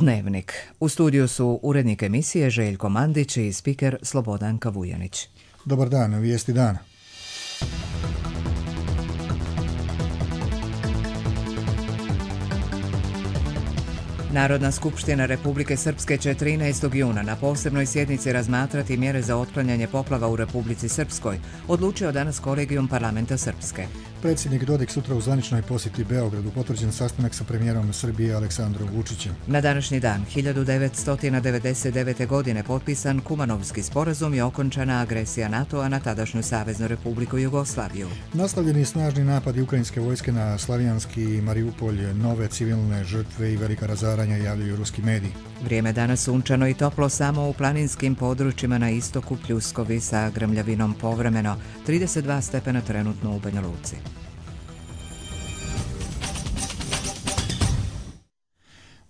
Dnevnik. U studiju su urednik emisije Željko Mandić i spiker Slobodanka Vujanić. Dobar dan, vijesti dana. Narodna skupština Republike Srpske će 13. juna na posebnoj sjednici razmatrati mjere za otklanjanje poplava u Republici Srpskoj, odlučio danas kolegijum parlamenta Srpske. Predsjednik Dodik sutra u zvaničnoj posjeti Beogradu, potvrđen sastanak sa premijerom Srbije Aleksandrom Vučićem. Na današnji dan 1999. godine potpisan Kumanovski sporazum i okončana agresija NATO-a na tadašnju Saveznu Republiku Jugoslaviju. Nastavljeni snažni napadi ukrajinske vojske na Slavijanski i Mariupolj, nove civilne žrtve i velika razaranja javljaju ruski mediji. Vrijeme danas sunčano i toplo samo u planinskim područjima na istoku, pljuskovi sa grmljavinom povremeno, 32 stepena trenutno u Banja Luci.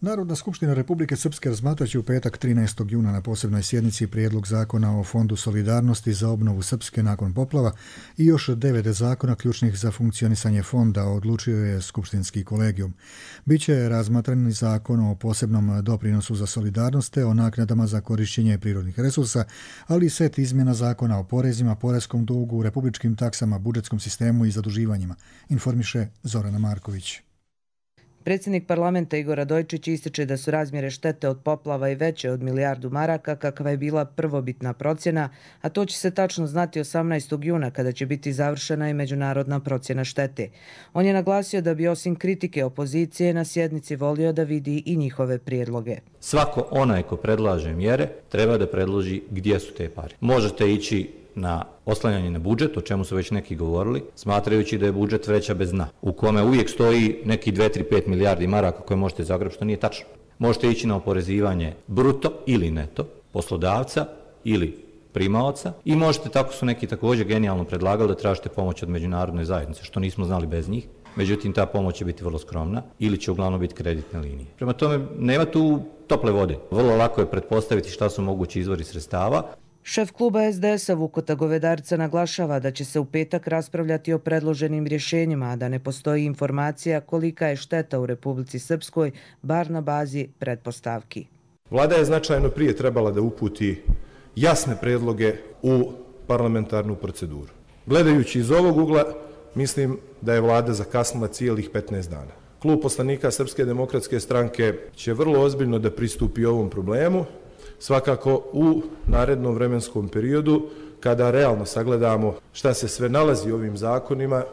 Narodna skupština Republike Srpske razmatraće u petak 13. juna na posebnoj sjednici prijedlog zakona o Fondu solidarnosti za obnovu Srpske nakon poplava i još 9 zakona ključnih za funkcionisanje fonda, odlučio je skupštinski kolegijum. Biće razmatran zakon o posebnom doprinosu za solidarnost te o naknadama za korišćenje prirodnih resursa, ali i set izmjena zakona o porezima, poreskom dugu, republičkim taksama, budžetskom sistemu i zaduživanjima, informiše Zorana Marković. Predsjednik parlamenta Igor Radojčić ističe da su razmjere štete od poplava i veće od milijardu maraka, kakva je bila prvobitna procjena, a to će se tačno znati 18. juna kada će biti završena i međunarodna procjena štete. On je naglasio da bi osim kritike opozicije na sjednici volio da vidi i njihove prijedloge. Svako onaj ko predlaže mjere treba da predloži gdje su te pare. Možete ići na oslanjanje na budžet, o čemu su već neki govorili, smatrajući da je budžet vreća bez dna, u kome uvijek stoji neki 2-3-5 milijardi maraka koje možete zagrabiti, što nije tačno. Možete ići na oporezivanje bruto ili neto, poslodavca ili primaoca i možete, tako su neki također genijalno predlagali, da tražite pomoć od međunarodne zajednice, što nismo znali bez njih. Međutim, ta pomoć će biti vrlo skromna ili će uglavnom biti kreditne linije. Prema tome, nema tu tople vode. Vrlo lako je pretpostaviti šta su mogući izvori sredstava. Šef kluba SDS-a Vukota Govedarca naglašava da će se u petak raspravljati o predloženim rješenjima, a da ne postoji informacija kolika je šteta u Republici Srpskoj, bar na bazi pretpostavki. Vlada je značajno prije trebala da uputi jasne predloge u parlamentarnu proceduru. Gledajući iz ovog ugla, mislim da je vlada zakasnila cijelih 15 dana. Klub poslanika Srpske demokratske stranke će vrlo ozbiljno da pristupi ovom problemu, svakako u narednom vremenskom periodu, kada realno sagledamo šta se sve nalazi u ovim zakonima,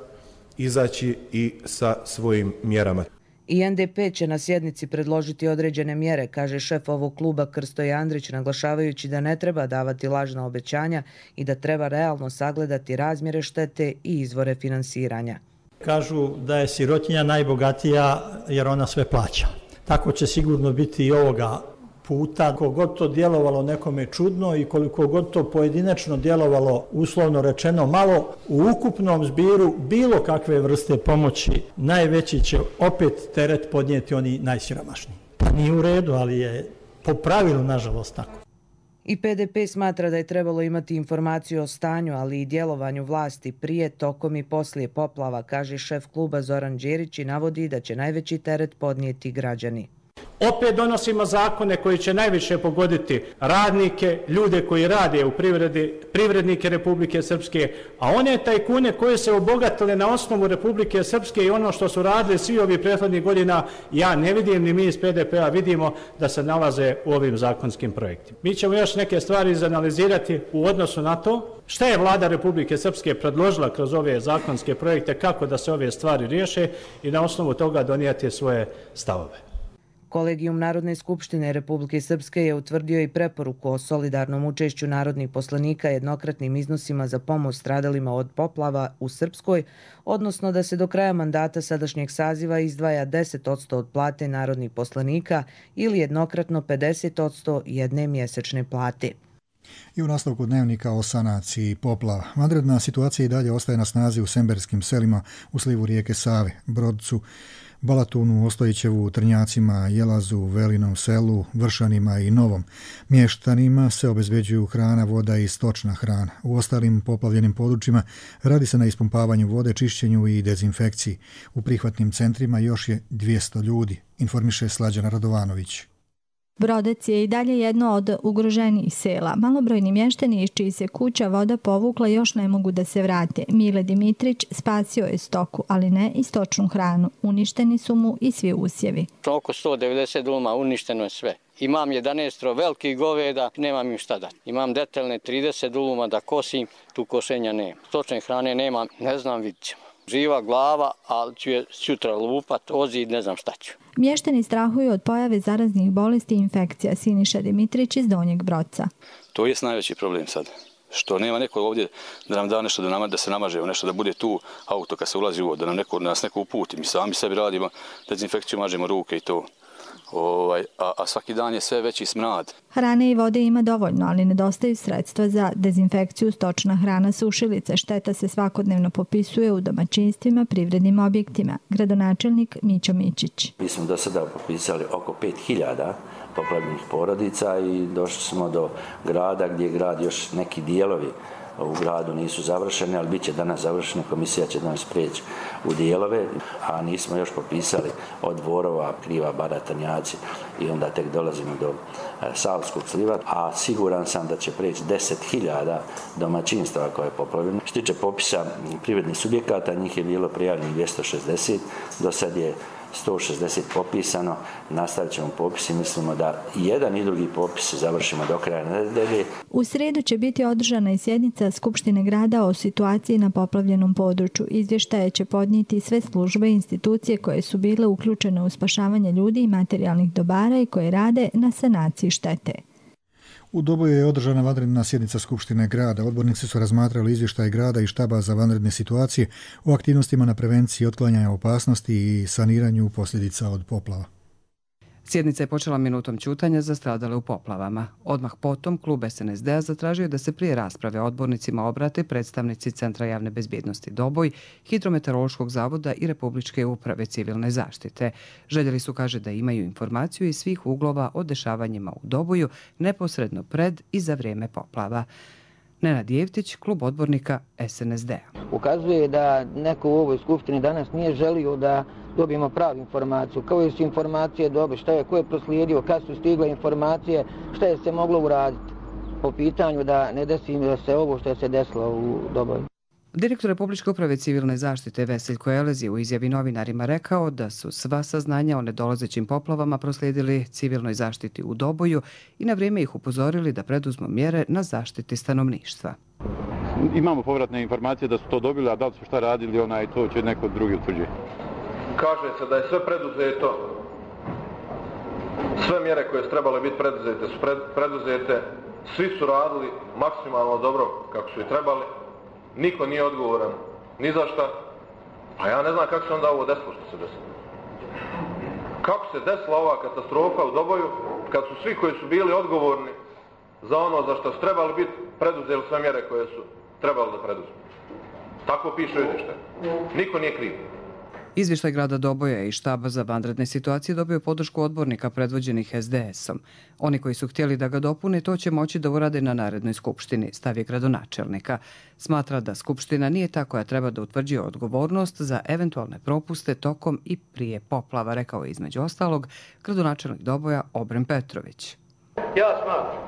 izaći i sa svojim mjerama. I NDP će na sjednici predložiti određene mjere, kaže šef ovog kluba Krsto Andrić, naglašavajući da ne treba davati lažna obećanja i da treba realno sagledati razmjere štete i izvore finansiranja. Kažu da je sirotinja najbogatija jer ona sve plaća. Tako će sigurno biti i ovoga puta. Koliko god to djelovalo nekome čudno i koliko god to pojedinačno djelovalo, uslovno rečeno, malo, u ukupnom zbiru bilo kakve vrste pomoći najveći će opet teret podnijeti oni najsiromašniji. Pa nije u redu, ali je po pravilu nažalost tako. I PDP smatra da je trebalo imati informaciju o stanju, ali i djelovanju vlasti prije, tokom i poslije poplava, kaže šef kluba Zoran Đerić i navodi da će najveći teret podnijeti građani. Opet donosimo zakone koji će najviše pogoditi radnike, ljude koji rade u privredi, privrednike Republike Srpske, a one tajkune koje se obogatile na osnovu Republike Srpske i ono što su radili svi ovih prethodnih godina, ja ne vidim, ni mi iz PDP-a vidimo da se nalaze u ovim zakonskim projektima. Mi ćemo još neke stvari izanalizirati u odnosu na to šta je vlada Republike Srpske predložila kroz ove zakonske projekte, kako da se ove stvari riješe i na osnovu toga donijeti svoje stavove. Kolegijum Narodne skupštine Republike Srpske je utvrdio i preporuku o solidarnom učešću narodnih poslanika jednokratnim iznosima za pomoć stradalima od poplava u Srpskoj, odnosno da se do kraja mandata sadašnjeg saziva izdvaja 10% od plate narodnih poslanika ili jednokratno 50% jedne mjesečne plate. I u nastavku dnevnika o sanaciji poplava. Vanredna situacija i dalje ostaje na snazi u semberskim selima u slivu rijeke Save, Brodcu, Balatunu, Ostojićevu, Trnjacima, Jelazu, Velinom selu, Vršanima i Novom. Mještanima se obezbeđuju hrana, voda i stočna hrana. U ostalim poplavljenim područjima radi se na ispumpavanju vode, čišćenju i dezinfekciji. U prihvatnim centrima još je 200 ljudi, informiše Slađana Radovanović. Brodec je i dalje jedno od ugroženijih sela. Malobrojni mještani iz čiji se kuća voda povukla još ne mogu da se vrate. Mile Dimitrić spasio je stoku, ali ne i stočnu hranu. Uništeni su mu i svi usjevi. Oko 190 duluma uništeno je sve. Imam 11 velikih goveda, nemam im šta dati. Imam detaljne 30 duluma da kosim, tu košenja nema. Stočne hrane nemam, ne znam, vidit ćemo. Živa glava, ali ću je sutra lupat, ozid, ne znam šta ću. Mještani strahuju od pojave zaraznih bolesti i infekcija. Siniša Dimitrić iz Donjeg Broca. To je najveći problem sad. Što nema neko ovdje da nam da nešto da se namaže, nešto da bude tu auto kad se ulazi u vodu, da nas neko uputi. Mi sami sebi radimo dezinfekciju, mažemo ruke i to. A svaki dan je sve veći smrad. Hrane i vode ima dovoljno, ali nedostaju sredstva za dezinfekciju, stočna hrana, sušilice. Šteta se svakodnevno popisuje u domaćinstvima, privrednim objektima. Gradonačelnik Mićo Mićić. Mi smo do sada popisali oko 5000 poplavljenih porodica i došli smo do grada gdje je grad još neki dijelovi u gradu nisu završene, ali bit će danas završene, komisija će danas prijeći u dijelove, a nismo još popisali od Dvorova, Kriva, Bara, Tanjaci i onda tek dolazimo do Savskog sliva, a siguran sam da će prijeći 10.000 domaćinstava koje je poplavljeno. Što tiče popisa privrednih subjekata, njih je bilo prijavljenih 260, do sad je 160 popisano, nastavit ćemo popis i mislimo da i jedan i drugi popis završimo do kraja nedelje. U srijedu će biti održana i sjednica Skupštine grada o situaciji na poplavljenom području. Izvještaje će podnijeti sve službe i institucije koje su bile uključene u spašavanje ljudi i materijalnih dobara i koje rade na sanaciji štete. U Doboju je održana vanredna sjednica Skupštine grada. Odbornici su razmatrali izvještaj grada i štaba za vanredne situacije o aktivnostima na prevenciji otklanjanja opasnosti i saniranju posljedica od poplava. Sjednica je počela minutom ćutanja za stradale u poplavama. Odmah potom klub SNSD-a zatražio da se prije rasprave odbornicima obrate predstavnici Centra javne bezbjednosti Doboj, Hidrometeorološkog zavoda i Republičke uprave civilne zaštite. Željeli su, kaže, da imaju informaciju iz svih uglova o dešavanjima u Doboju neposredno pred i za vrijeme poplava. Nenad Jevtić, klub odbornika SNSD-a. Ukazuje da neko u ovoj skupštini danas nije želio da dobijemo pravu informaciju. Kao su informacije dobre, šta je, ko je proslijedio, kad su stigle informacije, šta je se moglo uraditi po pitanju da ne desi se ovo što je se desilo u Doboju. Direktor Republičke uprave civilne zaštite Veseljko Elez je u izjavi novinarima rekao da su sva saznanja o nedolazećim poplavama proslijedili civilnoj zaštiti u Doboju i na vrijeme ih upozorili da preduzmu mjere na zaštiti stanovništva. Imamo povratne informacije da su to dobili, a da li su šta radili, to će neko drugi utvrđiti. Kaže se da je sve preduzeto, sve mjere koje su trebale biti preduzete su preduzete, svi su radili maksimalno dobro kako su i trebali. Niko nije odgovoran ni za šta, a ja ne znam kako se onda ovo desilo što se desilo. Kako se desila ova katastrofa u Doboju kad su svi koji su bili odgovorni za ono za što su trebali biti preduzeli sve mjere koje su trebali da preduzmu. Tako piše u izvještaju. Niko nije kriv. Izvještaj grada Doboja i štaba za vanredne situacije dobio podršku odbornika predvođenih SDS-om. Oni koji su htjeli da ga dopune, to će moći da urade na narednoj skupštini, stav je gradonačelnika. Smatra da skupština nije ta koja treba da utvrđuje odgovornost za eventualne propuste tokom i prije poplava, rekao je između ostalog gradonačelnik Doboja Obren Petrović. Ja smatram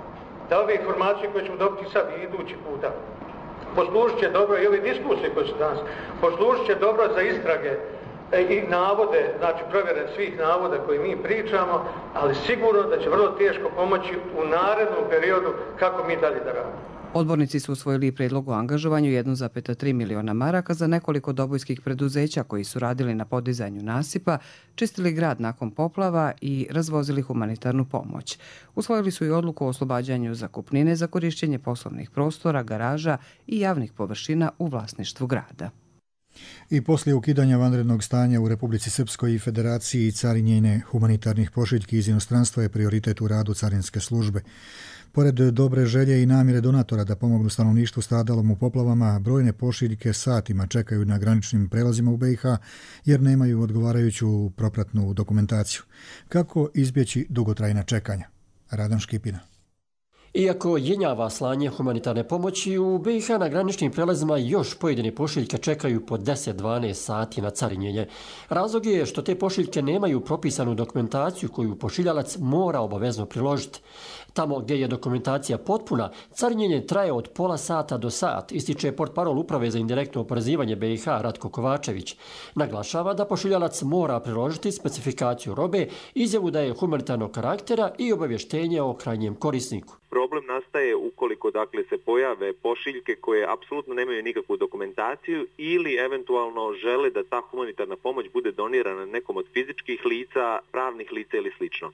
da ove informacije koje ćemo dobiti sad i idući puta poslužit će dobro i ove diskusije koje su danas, poslužit će dobro za istrage i navode, znači provjere svih navoda koje mi pričamo, ali sigurno da će vrlo teško pomoći u narednom periodu kako mi dalje da radimo. Odbornici su usvojili prijedlog o angažovanju 1,3 miliona maraka za nekoliko dobojskih preduzeća koji su radili na podizanju nasipa, čistili grad nakon poplava i razvozili humanitarnu pomoć. Usvojili su i odluku o oslobađanju zakupnine za korišćenje poslovnih prostora, garaža i javnih površina u vlasništvu grada. I poslije ukidanja vanrednog stanja u Republici Srpskoj i Federaciji carinjenje humanitarnih pošiljki iz inostranstva je prioritet u radu carinske službe. Pored dobre želje i namjere donatora da pomognu stanovništvu stradalom u poplavama, brojne pošiljke satima čekaju na graničnim prelazima u BiH jer nemaju odgovarajuću propratnu dokumentaciju. Kako izbjeći dugotrajna čekanja? Radan Škipina. Iako jenjava slanje humanitarne pomoći, u BiH na graničnim prelazima još pojedine pošiljke čekaju po 10-12 sati na carinjenje. Razlog je što te pošiljke nemaju propisanu dokumentaciju koju pošiljalac mora obavezno priložiti. Tamo gdje je dokumentacija potpuna, carinjenje traje od pola sata do sat, ističe portparol Uprave za indirektno oporezivanje BiH Ratko Kovačević. Naglašava da pošiljalac mora priložiti specifikaciju robe, izjavu da je humanitarnog karaktera i obavještenje o krajnjem korisniku. Problem nastaje ukoliko se pojave pošiljke koje apsolutno nemaju nikakvu dokumentaciju ili eventualno žele da ta humanitarna pomoć bude donirana nekom od fizičkih lica, pravnih lica ili slično.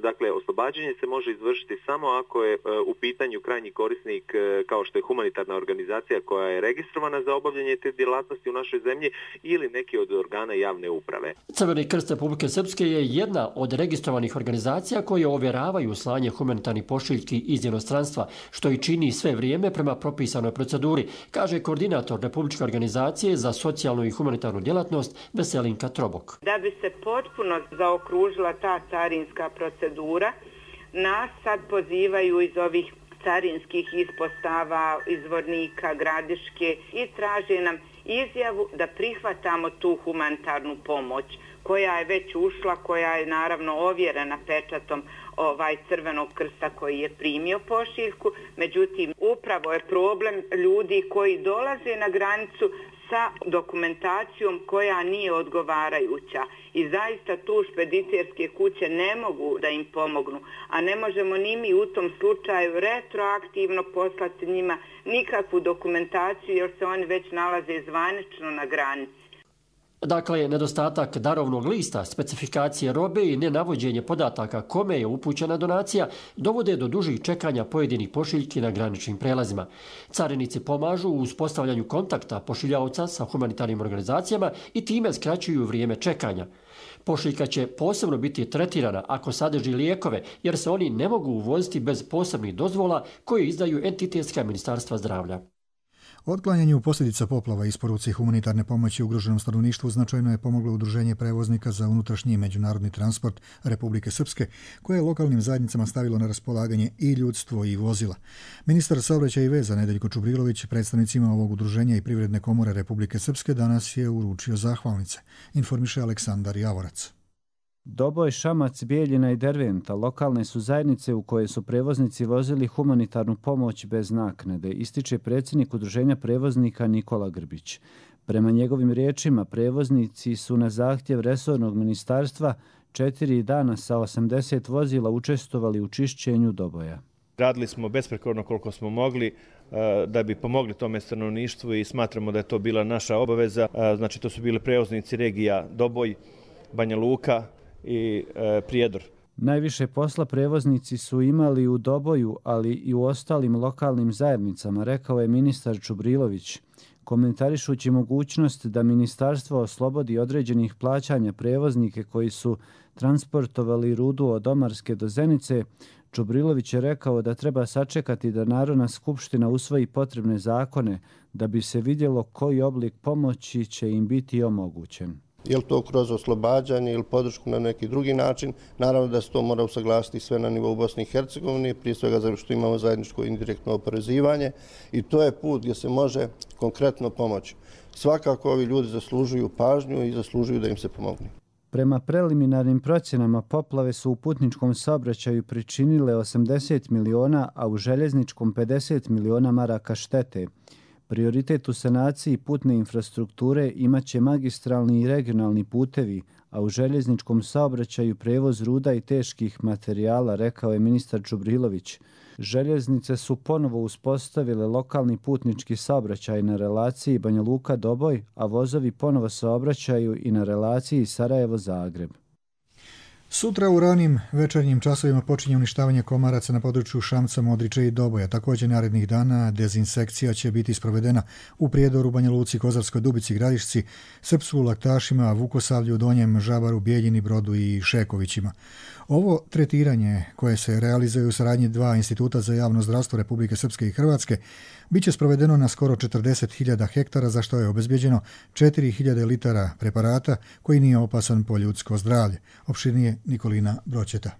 Dakle, oslobađanje se može izvršiti samo ako je u pitanju krajnji korisnik kao što je humanitarna organizacija koja je registrovana za obavljanje te djelatnosti u našoj zemlji ili neki od organa javne uprave. Crveni krst Republike Srpske je jedna od registrovanih organizacija koje ovjeravaju slanje humanitarnih pošiljki iz inostranstva, što i čini sve vrijeme prema propisanoj proceduri, kaže koordinator Republičke organizacije za socijalnu i humanitarnu djelatnost Veselinka Trobok. Da bi se potpuno zaokružila ta carinska procedura, nas sad pozivaju iz ovih carinskih ispostava, izvornika, Gradiške i traže nam izjavu da prihvatamo tu humanitarnu pomoć koja je već ušla, koja je naravno ovjerena pečatom Crvenog krsta koji je primio pošiljku. Međutim, upravo je problem ljudi koji dolaze na granicu sa dokumentacijom koja nije odgovarajuća. I zaista tu špediterske kuće ne mogu da im pomognu, a ne možemo ni mi u tom slučaju retroaktivno poslati njima nikakvu dokumentaciju jer se oni već nalaze zvanično na granici. Dakle, nedostatak darovnog lista, specifikacije robe i nenavođenje podataka kome je upućena donacija dovode do dužih čekanja pojedinih pošiljki na graničnim prelazima. Carinici pomažu u uspostavljanju kontakta pošiljaoca sa humanitarnim organizacijama i time skraćuju vrijeme čekanja. Pošiljka će posebno biti tretirana ako sadrži lijekove, jer se oni ne mogu uvoziti bez posebnih dozvola koje izdaju entitetska ministarstva zdravlja. Otklanjanju posljedica poplava i isporuci humanitarne pomoći ugroženom stanovništvu značajno je pomoglo Udruženje prevoznika za unutrašnji i međunarodni transport Republike Srpske, koje je lokalnim zajednicama stavilo na raspolaganje i ljudstvo i vozila. Ministar saobraćaja i veza Nedeljko Čubrilović predstavnicima ovog udruženja i Privredne komore Republike Srpske danas je uručio zahvalnice, informiše Aleksandar Javorac. Doboj, Šamac, Bijeljina i Derventa lokalne su zajednice u koje su prevoznici vozili humanitarnu pomoć bez naknade, ističe predsjednik Udruženja prevoznika Nikola Grbić. Prema njegovim riječima, prevoznici su na zahtjev resornog ministarstva 4 dana sa 80 vozila učestvovali u čišćenju Doboja. Radili smo besprekorno koliko smo mogli da bi pomogli tome stanovništvu i smatramo da je to bila naša obaveza. Znači, to su bili prevoznici regija Doboj, Banja Luka i Prijedor. Najviše posla prevoznici su imali u Doboju, ali i u ostalim lokalnim zajednicama, rekao je ministar Čubrilović. Komentarišući mogućnost da ministarstvo oslobodi određenih plaćanja prevoznike koji su transportovali rudu od Omarske do Zenice, Čubrilović je rekao da treba sačekati da Narodna skupština usvoji potrebne zakone da bi se vidjelo koji oblik pomoći će im biti omogućen. Je li to kroz oslobađanje ili podršku na neki drugi način? Naravno da se to mora usaglasiti sve na nivou Bosne i Hercegovine, prije svega zato što imamo zajedničko indirektno oporezivanje i to je put gdje se može konkretno pomoći. Svakako ovi ljudi zaslužuju pažnju i zaslužuju da im se pomogne. Prema preliminarnim procjenama, poplave su u putničkom saobraćaju pričinile 80 miliona, a u željezničkom 50 miliona maraka štete. Prioritet u sanaciji putne infrastrukture imaće magistralni i regionalni putevi, a u željezničkom saobraćaju prevoz ruda i teških materijala, rekao je ministar Čubrilović. Željeznice su ponovo uspostavile lokalni putnički saobraćaj na relaciji Banja Luka-Doboj, a vozovi ponovo saobraćaju i na relaciji Sarajevo-Zagreb. Sutra u ranim večernjim časovima počinje uništavanje komaraca na području Šamca, Modriče i Doboja. Također narednih dana dezinsekcija će biti sprovedena u Prijedoru, Banja Luci, Kozarskoj Dubici, Gradišci, Srpsku, Laktašima, Vukosavlju, Donjem, Žabaru, Bijeljini, Brodu i Šekovićima. Ovo tretiranje, koje se realizuje u saradnji 2 instituta za javno zdravstvo Republike Srpske i Hrvatske, biće sprovedeno na skoro 40.000 hektara, za što je obezbjeđeno 4.000 litara preparata koji nije opasan po ljudsko zdravlje. Opširnije Nikolina Bročeta.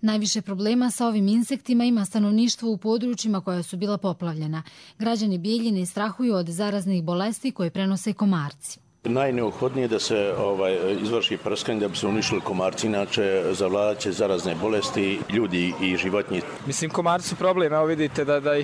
Najviše problema sa ovim insektima ima stanovništvo u područjima koja su bila poplavljena. Građani Bijeljine strahuju od zaraznih bolesti koje prenose komarci. Najneophodnije je da se izvrši prskanje da bi se uništili komarci, inače zavladat će zarazne bolesti ljudi i životinje. Mislim, komarci su problem, evo vidite da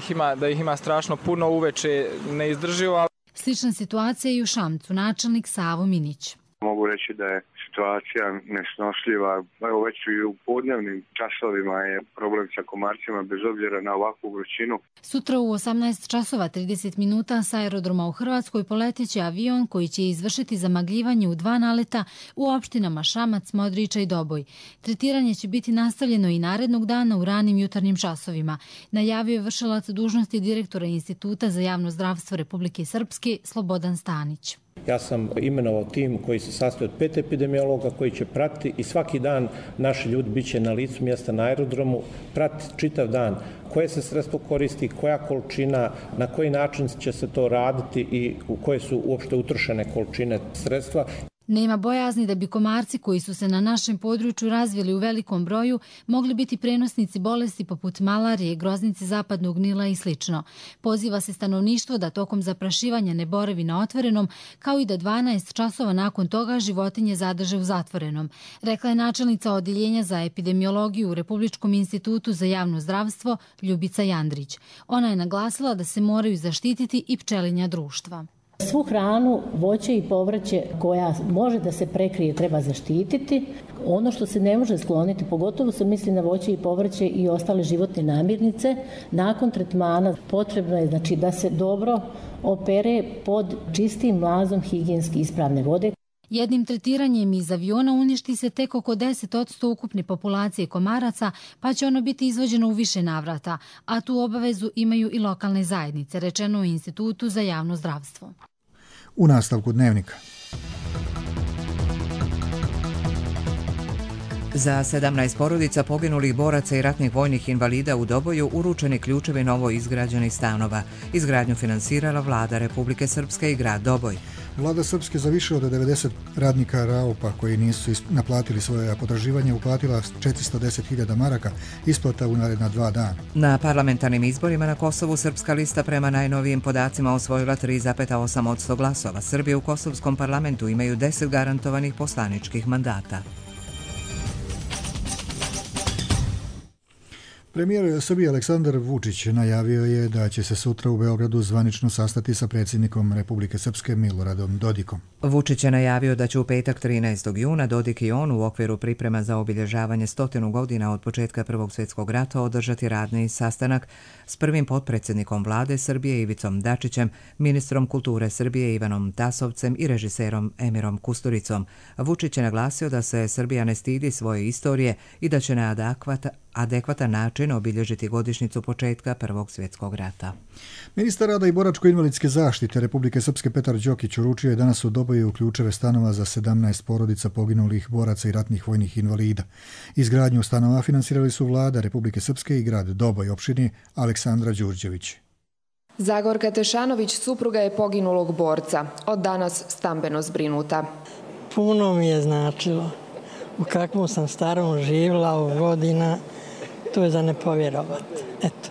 ih ima strašno puno, uveče neizdrživo. Slična situacija je i u Šamcu, načelnik Savo Minić. Mogu reći da je situacija nesnošljiva. Evo već i u podnevnim časovima je problem sa komarcima bez obzira na ovakvu vrućinu. Sutra u 18 časova 30 minuta sa aerodroma u Hrvatskoj poleteće avion koji će izvršiti zamagljivanje u 2 naleta u opštinama Šamac, Modriča i Doboj. Tretiranje će biti nastavljeno i narednog dana u ranim jutarnjim časovima. Najavio je vršilac dužnosti direktora Instituta za javno zdravstvo Republike Srpske Slobodan Stanić. Ja sam imenovao tim koji se sastoji od 5 epidemiologa koji će pratiti i svaki dan naši ljudi bit će na licu mjesta na aerodromu, pratiti čitav dan koje se sredstvo koristi, koja količina, na koji način će se to raditi i u koje su uopšte utrošene količine sredstva. Nema bojazni da bi komarci koji su se na našem području razvili u velikom broju mogli biti prenosnici bolesti poput malarije, groznice zapadnog Nila i sl. Poziva se stanovništvo da tokom zaprašivanja ne boravi na otvorenom, kao i da 12 časova nakon toga životinje zadrže u zatvorenom, rekla je načelnica Odeljenja za epidemiologiju u Republičkom institutu za javno zdravstvo Ljubica Jandrić. Ona je naglasila da se moraju zaštititi i pčelinja društva. Svu hranu, voće i povrće koja može da se prekrije treba zaštititi. Ono što se ne može skloniti, pogotovo se misli na voće i povrće i ostale životne namirnice, nakon tretmana potrebno je da se dobro opere pod čistim mlazom higijenski ispravne vode. Jednim tretiranjem iz aviona uništi se tek oko 10% ukupne populacije komaraca, pa će ono biti izvođeno u više navrata, a tu obavezu imaju i lokalne zajednice, rečeno u Institutu za javno zdravstvo. U nastavku dnevnika. Za 17 porodica poginulih boraca i ratnih vojnih invalida u Doboju uručeni ključevi novo izgrađenih stanova. Izgradnju finansirala vlada Republike Srpske i grad Doboj. Vlada Srpske za više od 90 radnika RAOP-a koji nisu naplatili svoje potraživanje uplatila 410.000 maraka, isplata u naredna 2 dana. Na parlamentarnim izborima na Kosovu Srpska lista prema najnovijim podacima osvojila 3,8% glasova. Srbi u Kosovskom parlamentu imaju 10 garantovanih poslaničkih mandata. Premijer Srbije Aleksandar Vučić najavio je da će se sutra u Beogradu zvanično sastati sa predsjednikom Republike Srpske Miloradom Dodikom. Vučić je najavio da će u petak 13. juna Dodik i on u okviru priprema za obilježavanje 100 godina od početka Prvog svjetskog rata održati radni sastanak s prvim potpredsjednikom vlade Srbije Ivicom Dačićem, ministrom kulture Srbije Ivanom Tasovcem i režiserom Emirom Kusturicom. Vučić je naglasio da se Srbija ne stidi svoje istorije i da će na adekvatan način obilježiti godišnjicu početka Prvog svjetskog rata. Ministar rada i boračko-invalidske zaštite Republike Srpske Petar Đokić uručio je danas u Doboju ključeve stanova za 17 porodica poginulih boraca i ratnih vojnih invalida. Izgradnju stanova finansirali su vlada Republike Srpske i grad Doboj, opštini Aleksandra Đurđević. Zagorka Tešanović supruga je poginulog borca, od danas stambeno zbrinuta. Puno mi je značilo u kakvom sam starom živjela u godina, to je za ne povjerovati. Eto.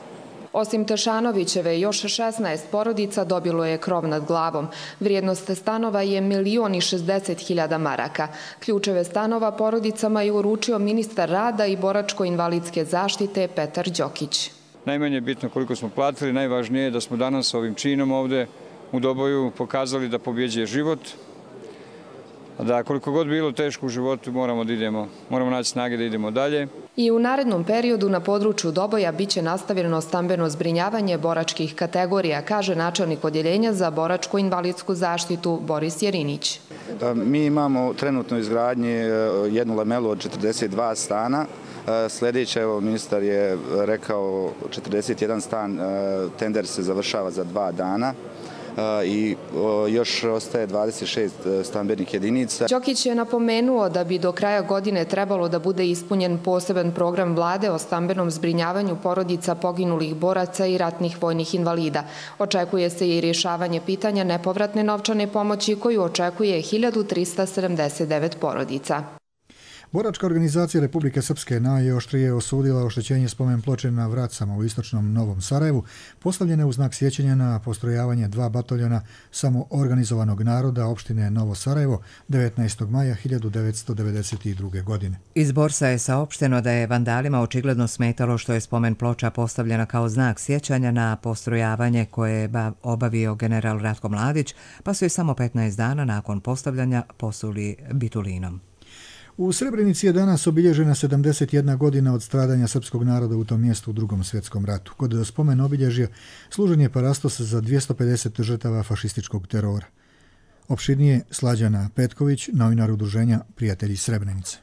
Osim Tešanovićeve, još 16 porodica dobilo je krov nad glavom. Vrijednost stanova je 1.060.000 maraka. Ključeve stanova porodicama je uručio ministar rada i boračko-invalidske zaštite Petar Đokić. Najmanje je bitno koliko smo platili, najvažnije je da smo danas ovim činom ovde u Doboju pokazali da pobjeđuje život, da koliko god bilo teško u životu moramo naći snage da idemo dalje. I u narednom periodu na području Doboja biće nastavljeno stambeno zbrinjavanje boračkih kategorija, kaže načelnik Odjeljenja za boračko-invalidsku zaštitu Boris Jerinić. Mi imamo trenutno izgradnji jednu lamelu od 42 stana. Sljedeće, evo, ministar je rekao 41 stan, tender se završava za 2 dana. I još ostaje 26 stambenih jedinica. Đokić je napomenuo da bi do kraja godine trebalo da bude ispunjen poseban program vlade o stambenom zbrinjavanju porodica poginulih boraca i ratnih vojnih invalida. Očekuje se i rješavanje pitanja nepovratne novčane pomoći koju očekuje 1379 porodica. Boračka organizacija Republike Srpske najoštrije osudila oštećenje spomen ploče na Vracama u istočnom Novom Sarajevu, postavljene u znak sjećanja na postrojavanje 2 bataljona samoorganizovanog naroda opštine Novo Sarajevo 19. maja 1992. godine. Iz Borsa je saopšteno da je vandalima očigledno smetalo što je spomen ploča postavljena kao znak sjećanja na postrojavanje koje je obavio general Ratko Mladić, pa su je samo 15 dana nakon postavljanja posuli bitulinom. U Srebrenici je danas obilježena 71 godina od stradanja srpskog naroda u tom mjestu u Drugom svjetskom ratu. Kod spomen obilježja služen je parastos za 250 žrtava fašističkog terora. Opširnije Slađana Petković, novinar udruženja Prijatelji Srebrenice.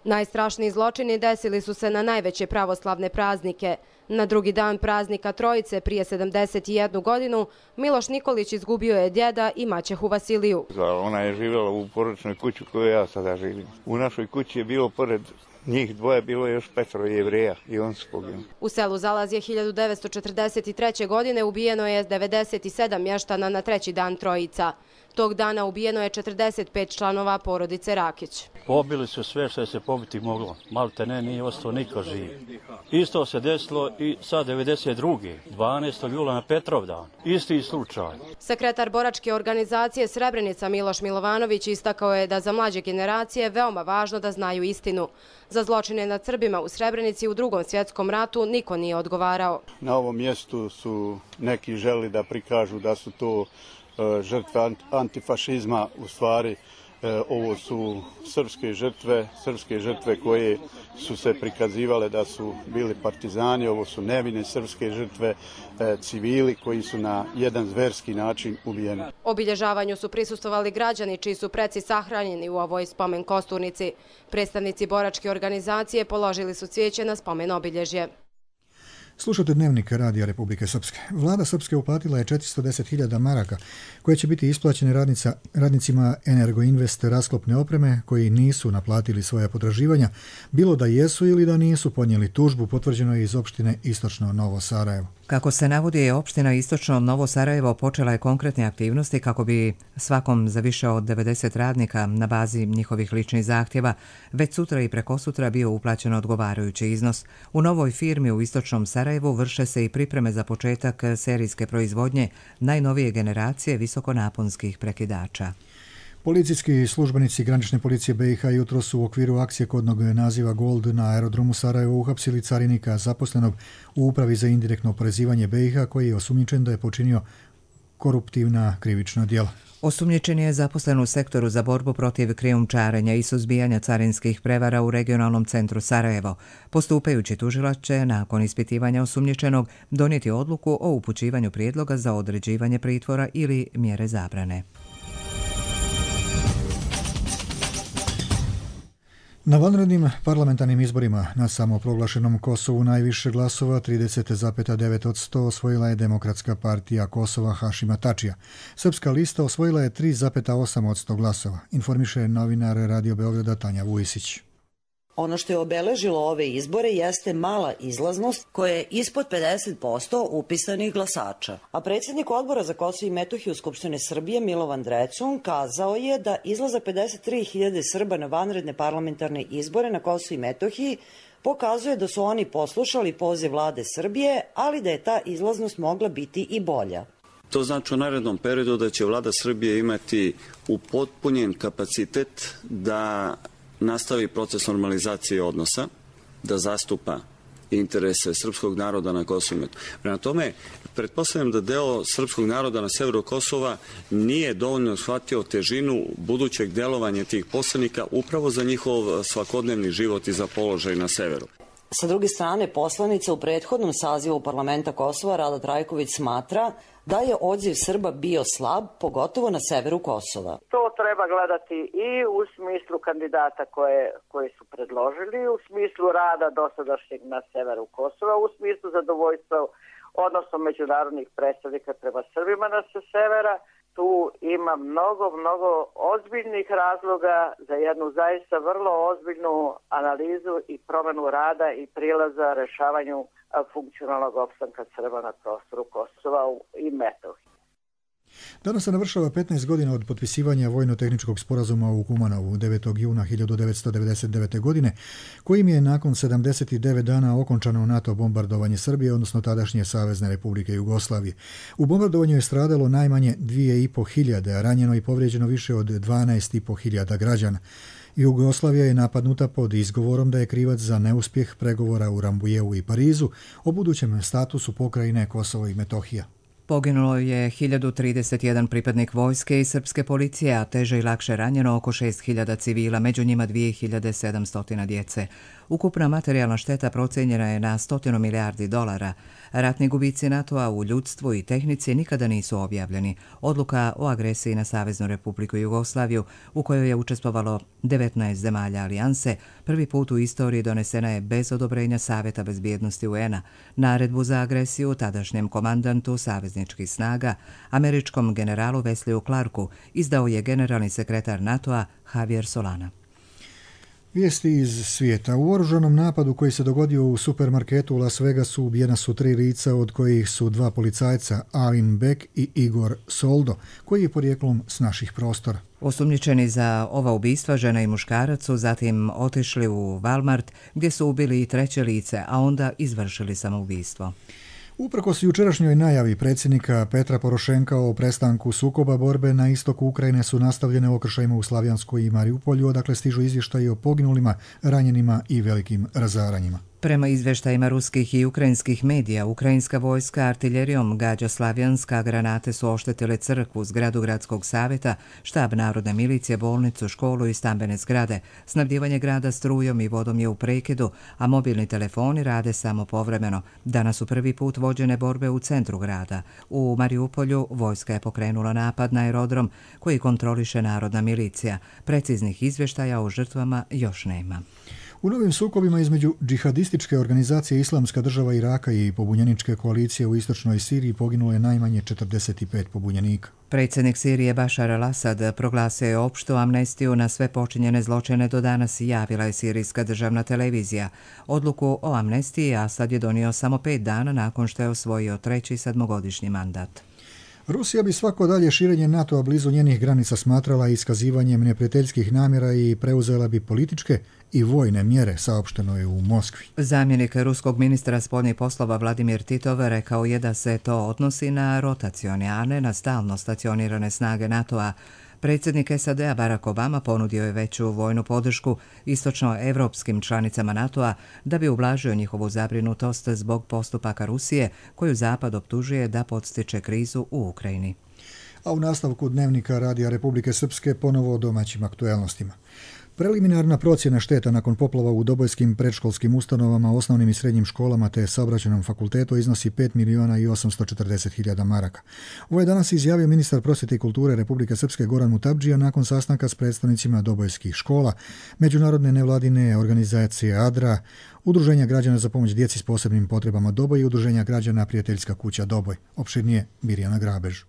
Najstrašniji zločini desili su se na najveće pravoslavne praznike. Na drugi dan praznika Trojice prije 71 godinu Miloš Nikolić izgubio je djeda i maćehu Vasiliju. Ona je živjela u porodičnoj kući koju ja sada živim. U našoj kući je bilo pored njih dvoje bilo je još 5 Jevreja i on su poginuli. U selu Zalazje 1943. godine ubijeno je 97 mještana na treći dan Trojica. Tog dana ubijeno je 45 članova porodice Rakić. Pobili su sve što je se pobiti moglo. Malte ne, nije ostao niko živ. Isto se desilo i sa 92. 12. jula na Petrovdan. Isti slučaj. Sekretar boračke organizacije Srebrenica Miloš Milovanović istakao je da za mlađe generacije veoma važno da znaju istinu. Za zločine nad Srbima u Srebrenici u Drugom svjetskom ratu niko nije odgovarao. Na ovom mjestu su neki želi da prikažu da su to žrtve antifašizma, u stvari ovo su srpske žrtve koje su se prikazivale da su bili partizani, ovo su nevine srpske žrtve, civili koji su na jedan zverski način ubijeni. Obilježavanju su prisustvovali građani čiji su preci sahranjeni u ovoj spomen kosturnici. Predstavnici boračke organizacije položili su cvijeće na spomen obilježje. Slušate Dnevnik Radija Republike Srpske. Vlada Srpske uplatila je 410.000 maraka koje će biti isplaćene radnicima Energoinvest rasklopne opreme koji nisu naplatili svoja potraživanja, bilo da jesu ili da nisu podnijeli tužbu, potvrđeno je iz opštine Istočno Novo Sarajevo. Kako se navodi, opština Istočno Novo Sarajevo počela je konkretne aktivnosti kako bi svakom za više od 90 radnika na bazi njihovih ličnih zahtjeva već sutra i prekosutra bio uplaćen odgovarajući iznos. U novoj firmi u Istočnom Sarajevu vrše se i pripreme za početak serijske proizvodnje najnovije generacije visokonaponskih prekidača. Policijski službenici granične policije BiH jutro su u okviru akcije kodnog naziva Gold na aerodromu Sarajevo uhapsili carinika zaposlenog u Upravi za indirektno oporezivanje BiH koji je osumnjičen da je počinio koruptivna krivična djela. Osumnjičen je zaposlen u sektoru za borbu protiv krijumčarenja i suzbijanja carinskih prevara u regionalnom centru Sarajevo. Postupajući tužilac će nakon ispitivanja osumnjičenog donijeti odluku o upućivanju prijedloga za određivanje pritvora ili mjere zabrane. Na vanrednim parlamentarnim izborima na samoproglašenom Kosovu najviše glasova, 30,9% osvojila je Demokratska partija Kosova Hašima Tačija. Srpska lista osvojila je 3,8% glasova, informiše novinar Radio Beograda Tanja Vujisić. Ono što je obeležilo ove izbore jeste mala izlaznost koja je ispod 50% upisanih glasača. A predsjednik odbora za Kosovo i Metohiju Skupštine Srbije Milovan Drecun kazao je da izlazak 53.000 Srba na vanredne parlamentarne izbore na Kosovo i Metohiji pokazuje da su oni poslušali poziv vlade Srbije, ali da je ta izlaznost mogla biti i bolja. To znači u narednom periodu da će vlada Srbije imati upotpunjen kapacitet da nastavi proces normalizacije odnosa, da zastupa interese srpskog naroda na Kosovu i Metohiji. Prema tome, pretpostavljam da deo srpskog naroda na severu Kosova nije dovoljno shvatio težinu budućeg delovanja tih poslanika upravo za njihov svakodnevni život i za položaj na severu. Sa druge strane, poslanica u prethodnom sazivu parlamenta Kosova Rada Trajković smatra da je odziv Srba bio slab, pogotovo na severu Kosova. To treba gledati i u smislu kandidata koje su predložili, u smislu rada dosadašnjeg na severu Kosova, u smislu zadovoljstva odnosno međunarodnih predstavnika prema Srbima na severa. Tu ima mnogo ozbiljnih razloga za jednu zaista vrlo ozbiljnu analizu i promjenu rada i prilaza rešavanju funkcionalnog opstanka Srba na prostoru Kosova i Metohije. Danas se navršava 15 godina od potpisivanja vojno-tehničkog sporazuma u Kumanovu 9. juna 1999. godine, kojim je nakon 79 dana okončano NATO bombardovanje Srbije, odnosno tadašnje Savezne Republike Jugoslavije. U bombardovanju je stradalo najmanje 2.500, a ranjeno i povrijeđeno više od 12.500 građana. Jugoslavija je napadnuta pod izgovorom da je krivac za neuspjeh pregovora u Rambujevu i Parizu o budućem statusu pokrajine Kosovo i Metohija. Poginulo je 1031 pripadnik vojske i srpske policije, a teže i lakše ranjeno oko 6.000 civila, među njima 2.700 djece. Ukupna materijalna šteta procijenjena je na $100 milijardi. Ratni gubici NATO-a u ljudstvu i tehnici nikada nisu objavljeni. Odluka o agresiji na Saveznu Republiku Jugoslaviju, u kojoj je učestvovalo 19 zemalja alijanse, prvi put u istoriji donesena je bez odobrenja Saveta bezbjednosti UN-a. Naredbu za agresiju tadašnjem komandantu savezničkih snaga, američkom generalu Wesleyu Clarku, izdao je generalni sekretar NATO-a Javier Solana. Vijesti iz svijeta. U oružanom napadu koji se dogodio u supermarketu u Las Vegasu ubijena su 3 lica, od kojih su 2 policajca, Alin Beck i Igor Soldo, koji je porijeklom s naših prostora. Osumnjičeni za ova ubistva, žena i muškarac, su zatim otišli u Walmart gdje su ubili i 3. lice, a onda izvršili samoubistvo. Uprkos jučerašnjoj najavi predsjednika Petra Porošenka o prestanku sukoba, borbe na istoku Ukrajine su nastavljene okršajima u Slavjanskoj i Mariupolju, odakle stižu izvještaji o poginulima, ranjenima i velikim razaranjima. Prema izvještajima ruskih i ukrajinskih medija, ukrajinska vojska artiljerijom gađa Slavjanska, granate su oštetile crkvu, zgradu gradskog savjeta, štab narodne milicije, bolnicu, školu i stambene zgrade. Snabdijevanje grada strujom i vodom je u prekidu, a mobilni telefoni rade samo povremeno. Danas su prvi put vođene borbe u centru grada. U Mariupolju vojska je pokrenula napad na aerodrom koji kontroliše narodna milicija. Preciznih izvještaja o žrtvama još nema. U novim sukobima između džihadističke organizacije Islamska država Iraka i pobunjeničke koalicije u istočnoj Siriji poginulo je najmanje 45 pobunjenika. Predsjednik Sirije Bašar al-Asad proglasio je opštu amnestiju na sve počinjene zločine do danas, javila je sirijska državna televizija. Odluku o amnestiji Asad je donio samo 5 dana nakon što je osvojio 3. 7-godišnji mandat. Rusija bi svako dalje širenje NATO-a blizu njenih granica smatrala iskazivanjem neprijateljskih namjera i preuzela bi političke i vojne mjere, saopšteno je u Moskvi. Zamjenik ruskog ministra spoljnih poslova Vladimir Titov rekao je da se to odnosi na rotacione, a ne na stalno stacionirane snage NATO-a. Predsjednik SAD-a Barack Obama ponudio je veću vojnu podršku istočnoevropskim članicama NATO-a da bi ublažio njihovu zabrinutost zbog postupaka Rusije, koju Zapad optužuje da podstiče krizu u Ukrajini. A u nastavku dnevnika Radija Republike Srpske ponovo o domaćim aktuelnostima. Preliminarna procjena šteta nakon poplava u dobojskim predškolskim ustanovama, osnovnim i srednjim školama te saobraćajnom fakultetu iznosi 5.840.000 maraka. Ovo je danas izjavio ministar prosvjete i kulture Republike Srpske Goran Mutabdžija nakon sastanka s predstavnicima dobojskih škola, međunarodne nevladine organizacije ADRA, Udruženja građana za pomoć djeci s posebnim potrebama Doboj i Udruženja građana Prijateljska kuća Doboj. Opširnije Mirjana Grabež.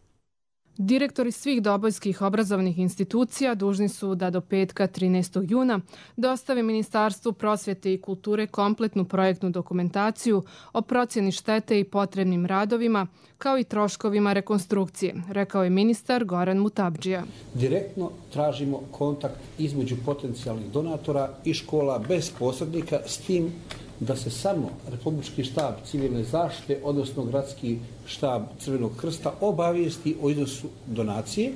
Direktori svih dobojskih obrazovnih institucija dužni su da do petka 13. juna dostave Ministarstvu prosvjete i kulture kompletnu projektnu dokumentaciju o procjeni štete i potrebnim radovima, kao i troškovima rekonstrukcije, rekao je ministar Goran Mutabdžija. Direktno tražimo kontakt između potencijalnih donatora i škola bez posrednika, s tim da se samo Republički štab civilne zaštite, odnosno Gradski štab Crvenog krsta, obavijesti o iznosu donacije,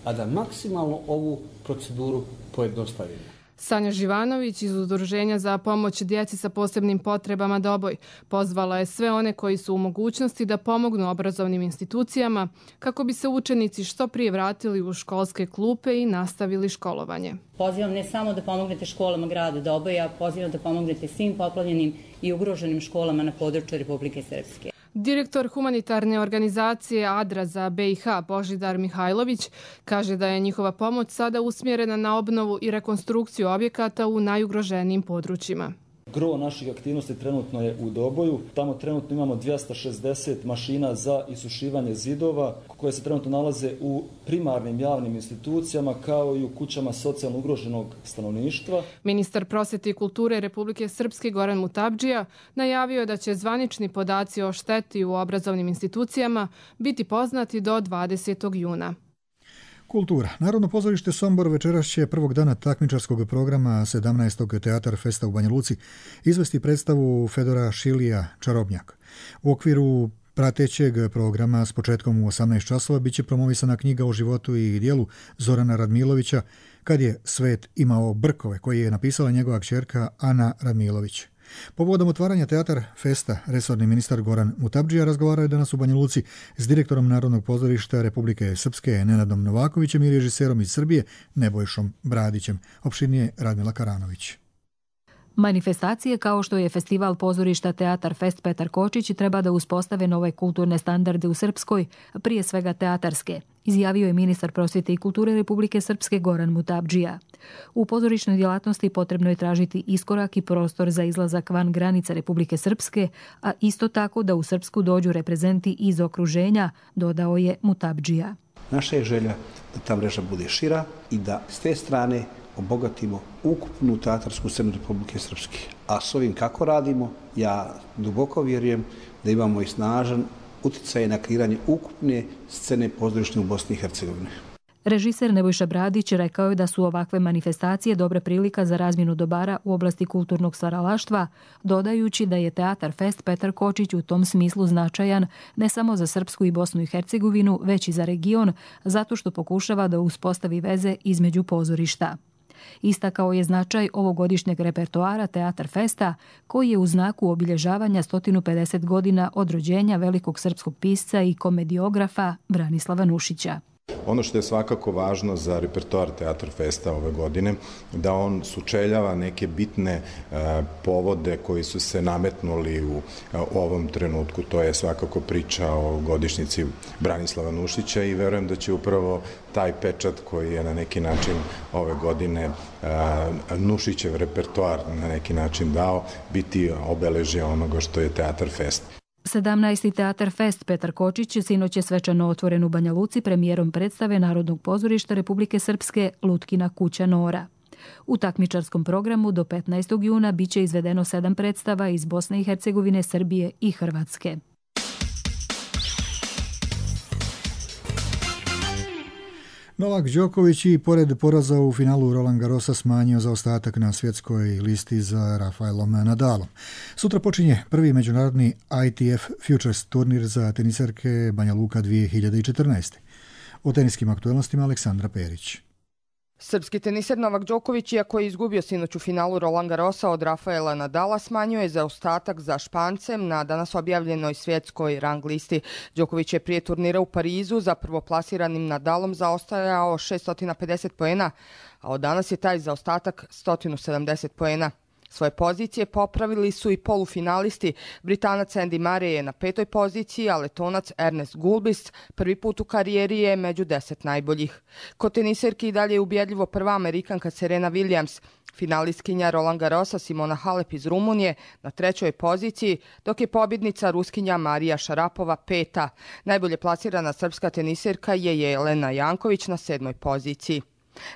a da maksimalno ovu proceduru pojednostavimo. Sanja Živanović iz Udruženja za pomoć djeci sa posebnim potrebama Doboj pozvala je sve one koji su u mogućnosti da pomognu obrazovnim institucijama kako bi se učenici što prije vratili u školske klupe i nastavili školovanje. Pozivam ne samo da pomognete školama grada Doboja, pozivam da pomognete svim poplavljenim i ugroženim školama na području Republike Srpske. Direktor humanitarne organizacije ADRA za BiH Božidar Mihajlović kaže da je njihova pomoć sada usmjerena na obnovu i rekonstrukciju objekata u najugroženijim područjima. Gro naših aktivnosti trenutno je u Doboju. Tamo trenutno imamo 260 mašina za isušivanje zidova koje se trenutno nalaze u primarnim javnim institucijama kao i u kućama socijalno ugroženog stanovništva. Ministar prosvete i kulture Republike Srpske Goran Mutabdžija najavio je da će zvanični podaci o šteti u obrazovnim institucijama biti poznati do 20. juna. Kultura. Narodno pozorište Sombor večeras će prvog dana takmičarskog programa 17. Teatar Festa u Banja Luci izvesti predstavu Fedora Šilija Čarobnjak. U okviru pratećeg programa s početkom u 18 časova biće promovisana knjiga o životu i dijelu Zorana Radmilovića Kad je svet imao brkove, koji je napisala njegova kćerka Ana Radmilović. Povodom otvaranja Teatar Festa, resorni ministar Goran Mutabdžija razgovarao je danas u Banja Luci s direktorom Narodnog pozorišta Republike Srpske Nenadom Novakovićem i režiserom iz Srbije Nebojšom Bradićem. Opširnije Radmila Karanović. Manifestacije kao što je festival pozorišta Teatar Fest Petar Kočić treba da uspostave nove kulturne standarde u Srpskoj, prije svega teatarske, izjavio je ministar prosvete i kulture Republike Srpske Goran Mutabdžija. U pozorišnoj djelatnosti potrebno je tražiti iskorak i prostor za izlazak van granica Republike Srpske, a isto tako da u Srpsku dođu reprezenti iz okruženja, dodao je Mutabdžija. Naša je želja da ta mreža bude šira i da s te strane obogatimo ukupnu teatarsku scenu Republike Srpske. A s ovim kako radimo, ja duboko vjerujem da imamo i snažan utjecaj na kreiranje ukupne scene pozorišne u Bosni i Hercegovini. Režiser Nebojša Bradić rekao je da su ovakve manifestacije dobra prilika za razmjenu dobara u oblasti kulturnog stvaralaštva, dodajući da je Teatar Fest Petar Kočić u tom smislu značajan ne samo za Srpsku i Bosnu i Hercegovinu, već i za region, zato što pokušava da uspostavi veze između pozorišta. Istakao je značaj ovogodišnjeg repertoara Teatar Festa, koji je u znaku obilježavanja 150 godina od rođenja velikog srpskog pisca i komediografa Branislava Nušića. Ono što je svakako važno za repertoar Teatar Festa ove godine, da on sučeljava neke bitne povode koji su se nametnuli u ovom trenutku. To je svakako priča o godišnjici Branislava Nušića i verujem da će upravo taj pečat koji je na neki način ove godine Nušićev repertoar na neki način dao, biti obeležje onoga što je Teatar Fest. 17. Teatar Fest Petar Kočić sinoć je svečano otvoren u Banja Luci premijerom predstave Narodnog pozorišta Republike Srpske Lutkina kuća Nora. U takmičarskom programu do 15. juna biće izvedeno 7 predstava iz Bosne i Hercegovine, Srbije i Hrvatske. Novak Đoković i pored poraza u finalu Roland Garrosa smanjio zaostatak na svjetskoj listi za Rafaelom Nadalom. Sutra počinje prvi međunarodni ITF Futures turnir za teniserke Banja Luka 2014. O teniskim aktualnostima Aleksandra Perić. Srpski teniser Novak Đoković, iako je izgubio sinoć u finalu Roland Garrosa od Rafaela Nadala, smanjio je zaostatak za Špancem na danas objavljenoj svjetskoj rang listi. Đoković je prije turnira u Parizu za prvoplasiranim Nadalom zaostajao 650 poena, a od danas je taj zaostatak 170 poena. Svoje pozicije popravili su i polufinalisti. Britanac Andy Murray je na 5. poziciji, a Letonac Ernest Gulbis prvi put u karijeri je među 10 najboljih. Kod teniserki i dalje je ubjedljivo prva Amerikanka Serena Williams, finalistkinja Roland Garrosa Simona Halep iz Rumunije na 3. poziciji, dok je pobjednica Ruskinja Marija Šarapova 5. Najbolje plasirana srpska teniserka je Jelena Janković na 7. poziciji.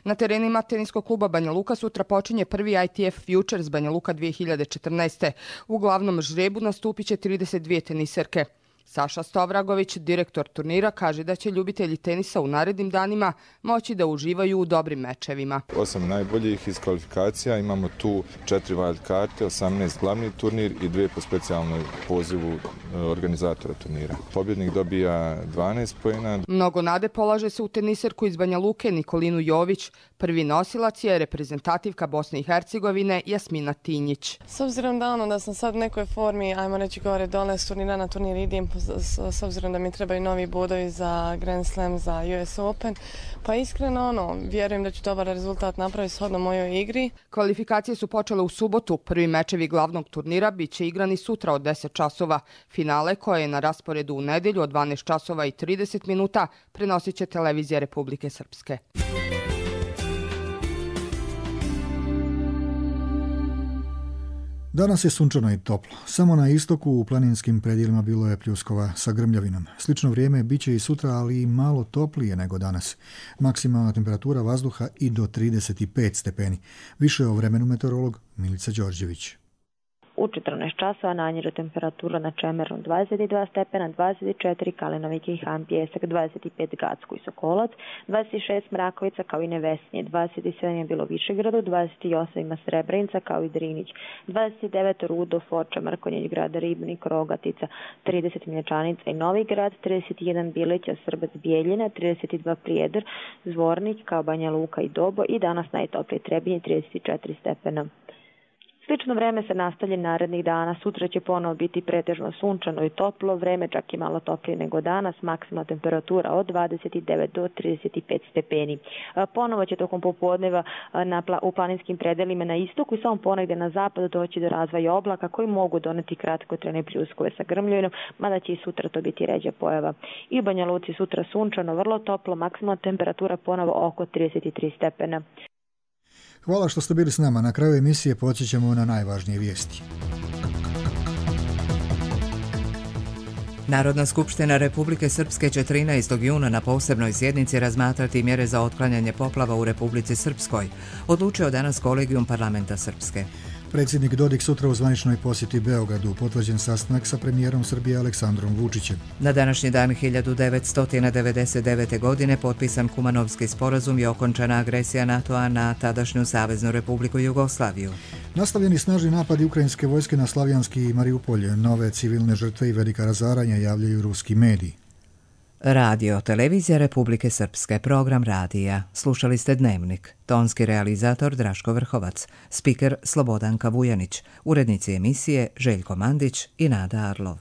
Na terenima teniskog kluba Banja Luka sutra počinje prvi ITF Futures Banja Luka 2014. U glavnom žrebu nastupit će 32 teniserke. Saša Stovragović, direktor turnira, kaže da će ljubitelji tenisa u narednim danima moći da uživaju u dobrim mečevima. 8 najboljih iz kvalifikacija, imamo tu 4 wild karte, 18 glavni turnir i 2 po specijalnoj pozivu organizatora turnira. Pobjednik dobija 12 poena. Mnogo nade polaže se u teniserku iz Banja Luke Nikolinu Jović. Prvi nosilac je reprezentativka Bosne i Hercegovine Jasmina Tinjić. S obzirom da sam sad u nekoj formi, ajmo reći gore dole, s turnira na turnir idem, s obzirom da mi trebaju novi bodovi za Grand Slam, za US Open, pa iskreno vjerujem da ću dobar rezultat napraviti shodno mojoj igri. Kvalifikacije su počele u subotu. Prvi mečevi glavnog turnira bit će igrani sutra od 10 časova. Finale, koje je na rasporedu u nedjelju od 12 časova i 30 minuta, prenosit će televizija Republike Srpske. Danas je sunčano i toplo. Samo na istoku u planinskim predjelima bilo je pljuskova sa grmljavinom. Slično vrijeme bit će i sutra, ali i malo toplije nego danas. Maksimalna temperatura vazduha i do 35 stepeni. Više o vremenu meteorolog Milica Đorđević. U 14 časova najniža temperatura na Čemeru 22 stepena, 24 Kalinovike i Han Pijesak, 25 Gacko i Sokolac, 26 Mrakovica kao i Nevesnje, 27 je bilo Višegradu, 28 ima Srebrenica kao i Drinić, 29 Rudo, Foča, Mrkonjić, Grad Ribnik, Rogatica, 30 Mlječanica i Novi Grad, 31 Bileća, Srbac, Bijeljina, 32 Prijedor, Zvornik kao Banja Luka i Dobo i danas najtoplije Trebinje 34 stepena. Slično vreme se nastavlja narednih dana. Sutra će ponovo biti pretežno sunčano i toplo, vreme čak i malo toplije nego danas, maksimalna temperatura od 29 do 35 stepeni. Ponovo će tokom popodneva u planinskim predelima na istoku i samo ponegde na zapadu doći do razvoja oblaka koji mogu doneti kratkotrajne pljuskove sa grmljavinom, mada će i sutra to biti ređa pojava. I u Banja Luci sutra sunčano, vrlo toplo, maksimalna temperatura ponovo oko 33 stepena. Hvala što ste bili s nama. Na kraju emisije podsjećamo na najvažnije vijesti. Narodna skupština Republike Srpske će 13. juna na posebnoj sjednici razmatrati mjere za otklanjanje poplava u Republici Srpskoj, odlučio danas Kolegijum parlamenta Srpske. Predsjednik Dodik sutra u zvaničnoj posjeti Beogradu, potvrđen sastanak sa premijerom Srbije Aleksandrom Vučićem. Na današnji dan 1999. godine potpisan Kumanovski sporazum i okončana agresija NATO-a na tadašnju Saveznu Republiku Jugoslaviju. Nastavljeni snažni napadi ukrajinske vojske na Slavjanski i Mariupolje, nove civilne žrtve i velika razaranja javljaju ruski mediji. Radio, televizija Republike Srpske, program radija. Slušali ste Dnevnik. Tonski realizator Draško Vrhovac, spiker Slobodanka Vujanić, urednici emisije Željko Mandić i Nada Arlov.